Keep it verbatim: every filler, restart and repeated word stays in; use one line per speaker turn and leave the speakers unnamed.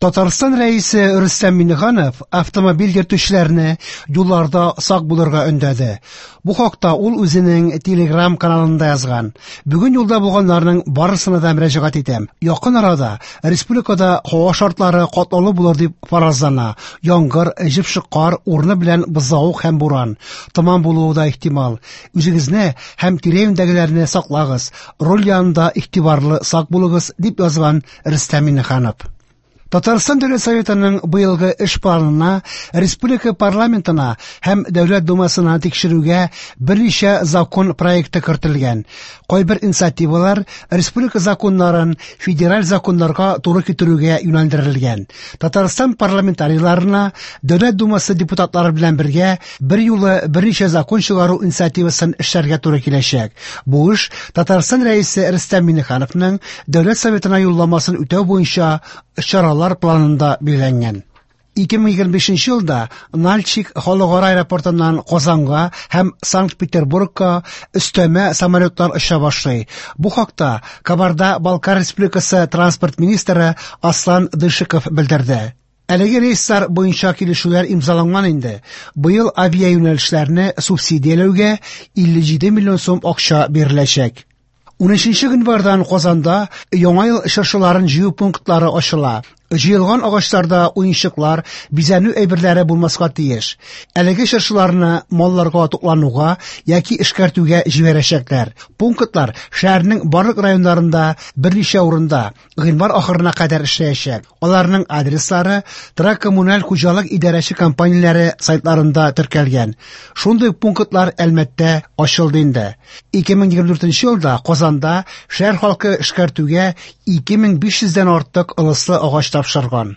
Татарстан Рәисе Рөстәм Миңнеханов автомобиль йөртүчеләрне юлларда сак булырга өндәде. Бу хакта ул үзенең Telegram каналында язган. Бүген юлда булганнарның барысына да мөрәҗәгать итәм. Якын арада республикада һава шартлары катлаулы булыр дип фаразлана. Яңгыр, җепшек кар, урыны белән бозлавык һәм буран. Томан булуы да ихтимал. Үзегезне һәм тирә-юньдәгеләрне саклагыз. Руль янында игътибарлы, сак булыгыз, дип язган Рөстәм Миңнеханов. Татарстан Дәүләт Советының быелгы эш планына республика парламентына һәм Дәүләт Думасына тикшерүгә берничә закон проекты кертелгән. Кайбер инициативалар республика законнарын федераль законнарга туры китерүгә юнәлдерелгән. Татарстан парламентарийларына Дәүләт Думасы депутатлары белән бергә бер юлы берничә закон чыгару инициативасын эшләргә туры киләчәк. Бу эш Татарстан Рәисе Рөстәм Миңнехановның Дәүләт Советына юлламасын үтәү буенча чаралар планында билгеләнгән. ике мең егерме бишенче елда Нальчик халыкара аэропортыннан Казанга һәм Санкт-Петербургка өстәмә самолетлар оча башлый. Бу хакта Кабарда-Балкар Республикасы транспорт министры Аслан Дышиков белдерде. Әлеге рейслар буенча килешүләр имзаланган инде. Быел авиаюнәлешләрне субсидияләүгә илле җиде миллион сум акча биреләчәк. Унөченче гыйнвардан Казанда Яңа ел чыршыларын җыю пунктлары ачыла. Җыелган агачларда уенчыклар, бизәнү әйберләре булмаска тиеш. Әлеге чыршыларны малларга туклануга яки эшкәртүгә җибәрәчәкләр. Пунктлар шәһәрнең барлык районнарында берничә урында гыйнвар ахырына кадәр эшләячәк. Аларның адреслары торак коммуналь хуҗалык идарәче компанияләре сайтларында теркәлгән. Шундый пунктлар Әлмәттә ачылды инде. ике мең егерме дүртенче елда Казанда шәһәр халкы эшкәртүгә ике мең биш йөздән артык ылыслы агач тапшырган.